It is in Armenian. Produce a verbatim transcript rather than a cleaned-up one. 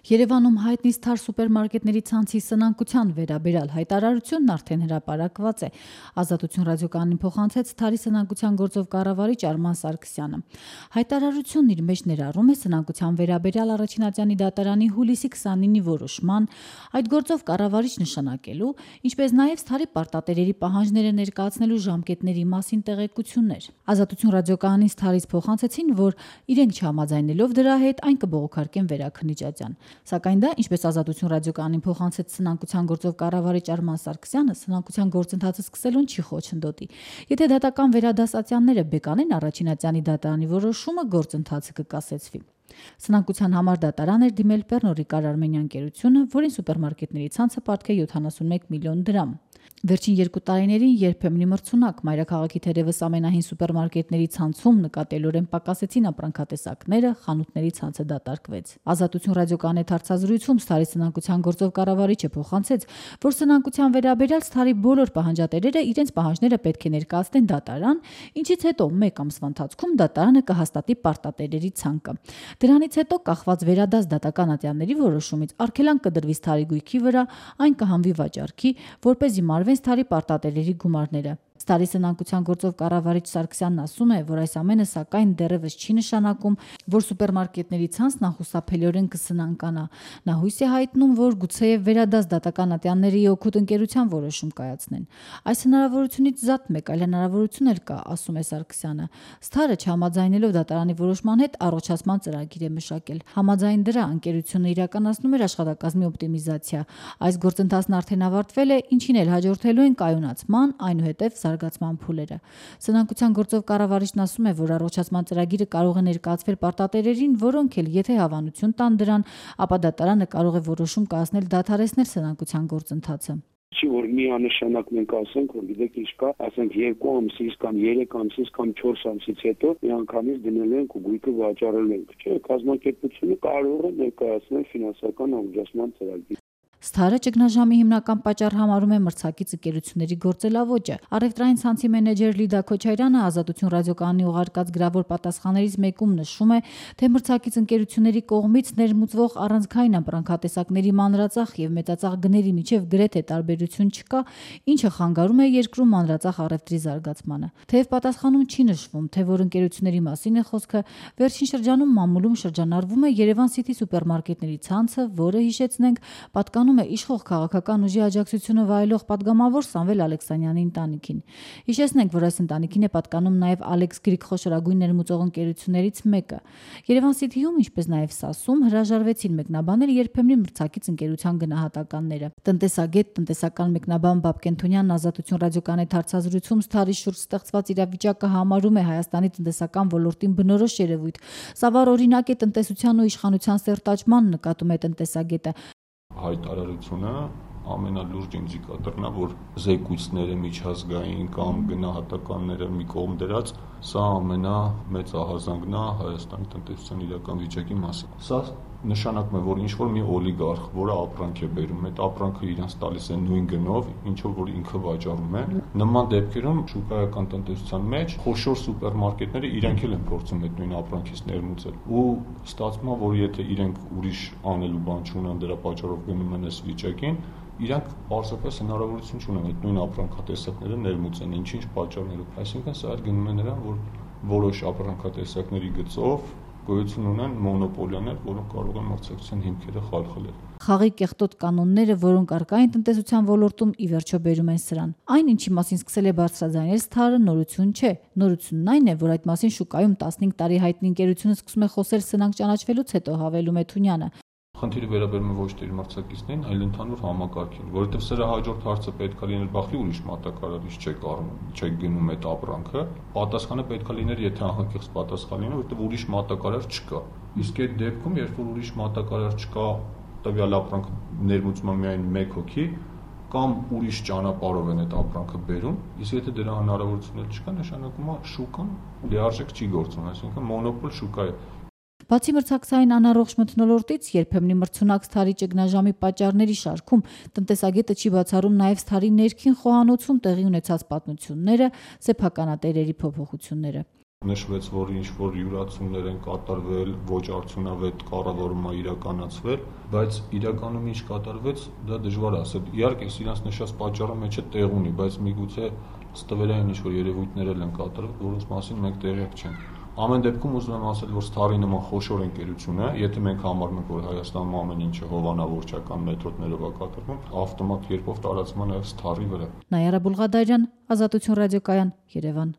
Երևանում հայտնի Սթար սուպերմարկետների ցանցի սնանկության վերաբերյալ հայտարարությունն արդեն հրապարակված է։ Ազատություն ռադիոկայանին փոխանցեց Սթարի սնանկության գործով կառավարիչ Արման Սարգսյանը։ Հայտարարությունն իր մեջ ներառում է սնանկության վերաբերյալ Առաջին դատարանի հուլիսի քսանինի որոշման, այդ գործով կառավարիչ նշանակելու, ինչպես նաև Սթարի պարտատերերի պահանջները ներկայացնելու ժամկետների մասին տեղեկություններ։ Ազատություն ռադիոկայանին Սթարից փոխանցեցին, որ իրենք չհամաձայնելով դրա հետ այն կբողոքարկեն Վերաքննիջատյան։ Սակայն դա, ինչպես Ազատություն ռադիոկայանին փոխանցեց սնանկության գործով կառավարիչ Արման Սարգսյանը, սնանկության գործընթացը սկսելուն չի խոչընդոտի։ Եթե դատական վերադասացյանները բեկանեն Առաջին դատարանի որոշումը, գործընթացը կկասեցվի։ Սնանկության համար դատարան էր դիմել Pernod Ricard Armenia ընկերությունը, որին սուպերմարկետների ցանցը պարտք է յոթանասունմեկ միլիոն դրամ։ Վերջին երկու տարիներին երբեմնի մրցունակ մայրաքաղաքի թերևս ամենահին սուպերմարկետների ցանցում նկատելորեն պակասեցին ապրանքատեսակները, խանութների ցանցը դատարկվեց։ Ազատություն ռադիոկայանի հարցազրույցում Սթարի սնանկության գործով կառավարիչը փոխանցեց, որ սնանկության վերաբերյալ Սթարի բոլոր պահանջատերերը իրենց պահանջները պետք է ներկայացնեն դատարան, ինչից հետո մեկ ամսվա ընթացքում դատարանը կհաստատի պարտատերերի ցանկը։ Դրանից հետո կախված վերադաս դատական ատյանների որոշումից արգելանք կդրվի Սթարի գույքի վրա, այն կհանվի վաճառքի, որպեսզի մարվեն Սթարի պարտատերերի գումարները։ Սթարի սնանկության գործով կառավարիչ Սարգսյանն ասում է, որ այս ամենը սակայն դեռևս չի նշանակում, որ սուպերմարկետների ցանցն անխուսափելիորեն կսնանկանա։ Նա հույս է հայտնում, որ գուցեև վերադաս դատական ատյանների օգուտ ընկերության որոշում կայացնեն։ Այս հնարավորությունից զատ մեկ այլ հնարավորություն էլ կա, ասում է Սարգսյանը։ Սթարը չհամաձայնելով դատարանի որոշման հետ առողջացման ծրագիր է մշակել։ Համաձայն դրա ընկերությունը իրականացնում էր աշխատակազմի օպտիմիզացիա։ Այս գործընթացն արդեն ավարտվել է, ինչին էլ հաջորդելու են կայունացման, այնուհետև զարգացման փուլերը։ Սնանկության գործով կառավարիչն ասում է, որ առողջացման ծրագիրը կարող է ներկայացվել պարտատերերին, որոնք էլ եթե հավանություն տան դրան, ապա դատարանը կարող է որոշում կայացնել դադարեցնել սնանկության գործընթացը։ Չի որ միանշանակ մենք ասենք, որ գիտեք ինչ կա, ասենք երկու ամսից կամ երեք ամսից կամ չորս ամսից հետո միանգամից դնել ենք ու գույքը վաճառել ենք։ Չէ, կազմակերպությունը կարող է ներկայացնել ֆինանսական առողջացման ծրագիր։ Սթարը ճգնաժամի հիմնական պատճառ համարում է մրցակից ընկերությունների գործելավոճը։ Առևտրային ցանցի մենեջեր Լիդա Քոչարյանը Ազատություն ռադիոկայանի ուղարկած գրավոր պատասխաններից մեկում նշում է, թե մրցակից ընկերությունների կողմից ներմուծվող առանցքային ապրանքատեսակների մանրածախ եւ մեծածախ գների միջև գրեթե տարբերություն չկա, ինչը խանգարում է երկրում մանրածախ առևտրի զարգացմանը։ Թեև պատասխանում չի նշվում, թե որ ընկերությունների մասին է խոսքը, վերջին շրջանում մամուլում շրջանառվում է Երևան City սուպերմարկետների ցանցը, որը հիշեցնենք, պատկանում է իշխող քաղաքական ուժի աջակցությունը վայելող պատգամավոր Սամվել Ալեքսանյանի ընտանիքին։ Հիշեցնենք, որ այս ընտանիքին է պատկանում նաև Alex Greek խոշորագույն ներմուծող ընկերություններից մեկը։ Երևան City-ում, ինչպես նաև ՍԱՍ-ում հրաժարվեցին մեկնաբանել երբեմնի մրցակից ընկերության գնահատականները։ Տնտեսագետ, տնտեսական մեկնաբան Բաբկեն Թունյանն Ազատություն ռադիոկայանի հարցազրույցում Սթարի շուրջ ստեղծված իրավիճակը համարում է Հայաստանի տնտեսական ոլորտին բնորոշ երևույթ։ Սա վառ օրինակ է տնտեսության ու իշխանության սերտաճման, նկատում է տնտեսագետը։ Հայտարարությունը ամենալուրջ ինդիկատորն է, որ զեկույցները միջազգային կամ գնահատականները մի կողմ դրած, սա ամենամեծ ահազանգն է Հայաստանի տնտեսության իրական վիճակի մասին։ Սա նշանակում է, որ ինչ-որ մի օլիգարխ, որը ապրանք է բերում, այդ ապրանքը իրենց տալիս է նույն գնով, ինչով որ ինքը վաճառում է, նման դեպքերում շուկայական տնտեսության մեջ խոշոր սուպերմարկետները իրենք էլ են փորձում այդ նույն ապրանքից ներմուծել։ Ու ստացվում է, որ եթե իրենք ուրիշ անելու բան չունեն, դրա պատճառով գնում են այս վիճակին, իրանք պարզապես հնարավորություն չունեն այդ նույն ապրանքատեսակները ներմուծեն, ինչ-ինչ պատճառներով։ Այսինքն սա գնում է նրան, որ որոշ ապրանքատեսակների գծով գոյություն ունեն մոնոպոլիաներ, որոնք կարող են մրցակցության հիմքերը խալխլել։ Խաղի կեղտոտ կանոնները, որոնք առկա են տնտեսության ոլորտում, ի վերջո բերում են սրան։ Այն, ինչի մասին սկսել է բարձրաձայնել Սթարը, նորություն չէ։ Նորությունն այն է, որ այդ մասին շուկայում տասնհինգ տարի հայտնի ընկերությունը սկսում է խոսել սնանկ ճանաչվելուց հետո, հավելում է Թունյանը։ Խնդիրը վերաբերում է ոչ թե իր մրցակիցներին, այլ ընդհանուր համակարգին, որովհետև սրա հաջորդ հարցը պետք է լիներ բախի ուրիշ մատակարարիչ չեք առնում, չեք գնում այդ ապրանքը, պատասխանը պետք է լիներ, եթե անկեղծ պատասխան լիներ, որովհետև ուրիշ մատակարար չկա։ Իսկ այդ դեպքում, երբ որ ուրիշ մատակարար չկա, տվյալ ապրանքը ներմուծում է միայն մեկ հոգի, կամ ուրիշ ճանապարհով են այդ ապրանքը բերում, իսկ եթե դրա հնարավորությունը չկա, նշանակում է շուկան լիարժեք չի գործում, այսինքն մոնոպոլ շուկա է։ Բացի մրցակցային անառողջ մթնոլորտից, երբեմնի մրցունակ Սթարի ճգնաժամի պատճառների շարքում տնտեսագետը չի բացառում նաև Սթարի ներքին խոհանոցում տեղի ունեցած պատմությունները, սեփականատերերի փոփոխությունները։ Նշվեց, որ ինչ-որ յուրացումներ են կատարվել, ոչ արդյունավետ կառավարում է իրականացվել, բայց իրականում ինչ կատարվեց, դա դժվար է ասել։ Իհարկե, իրանց նշած պատճառը մեջը տեղ ունի, բայց միգուցե ստվերային ինչ-որ երևույթներ են կատարվել, որոնց մասին մենք տեղյակ չենք։ Ամեն դեպքում ուզում եմ ասել, որ Սթարի նման խոշոր ընկերություն է, եթե մենք համարում ենք, որ Հայաստանում ամեն ինչը հովանավորչական մեթոդներով է կատարվում, ավտոմատ կերպով տարածվում է նաև Սթարի վրա։ Նայարա Բուլղադարյան, Ազատություն ռադիոկայան, Երևան։